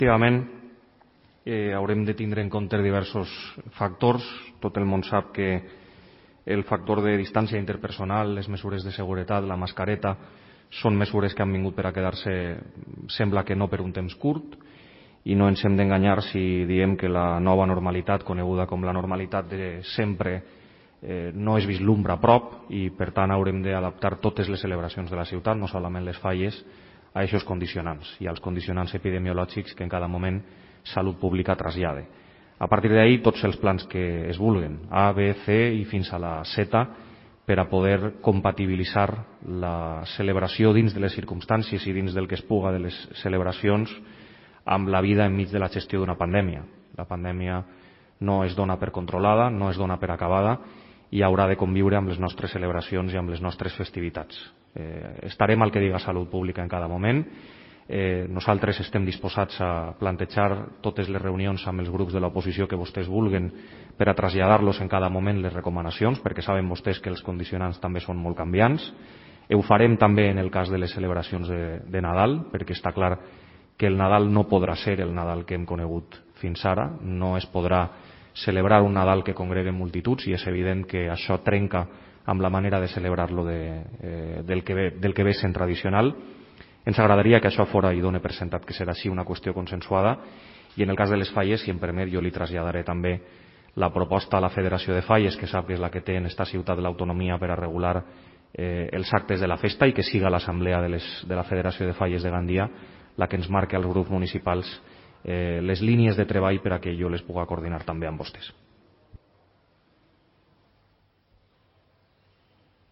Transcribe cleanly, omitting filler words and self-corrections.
Efectivament, haurem de tindre en compte diversos factors. Tot el món sap que el factor de distància interpersonal, les mesures de seguretat, la mascareta, són mesures que han vingut per a quedar-se, sembla que no per un temps curt, i no ens hem d'enganyar si diem que la nova normalitat, coneguda com la normalitat de sempre, no es vislumbra a prop i, per tant, haurem d'adaptar totes les celebracions de la ciutat, no solament les falles, a aquests condicionants i als condicionants epidemiològics que en cada moment Salut Pública trasllada. A partir d'ahí, tots els plans que es vulguen, A, B, C i fins a la Z, per a poder compatibilitzar la celebració dins de les circumstàncies i dins del que es puga de les celebracions amb la vida enmig de la gestió d'una pandèmia. La pandèmia no es dona per controlada, no es dona per acabada i haurà de conviure amb les nostres celebracions i amb les nostres festivitats. Estarem al que diga Salut Pública en cada moment. Nosaltres estem disposats a plantejar totes les reunions amb els grups de l'oposició que vostès vulguen per a traslladar-los en cada moment les recomanacions, perquè saben vostès que els condicionants també són molt canviants. Ho farem també en el cas de les celebracions de Nadal, perquè està clar que el Nadal no podrà ser el Nadal que hem conegut fins ara, no es podrà celebrar un Nadal que congregui multituds i és evident que això trenca amb la manera de celebrar-lo del que ve sent tradicional. Ens agradaria que això fora, i done per sentat que serà així, una qüestió consensuada, i en el cas de les falles, si em permet, jo li traslladaré també la proposta a la Federació de Falles, que sap que és la que té en esta ciutat l'autonomia per a regular els actes de la festa, i que siga l'Assemblea de la Federació de Falles de Gandia la que ens marqui als grups municipals les línies de treball per a que jo les puga coordinar també amb vostès.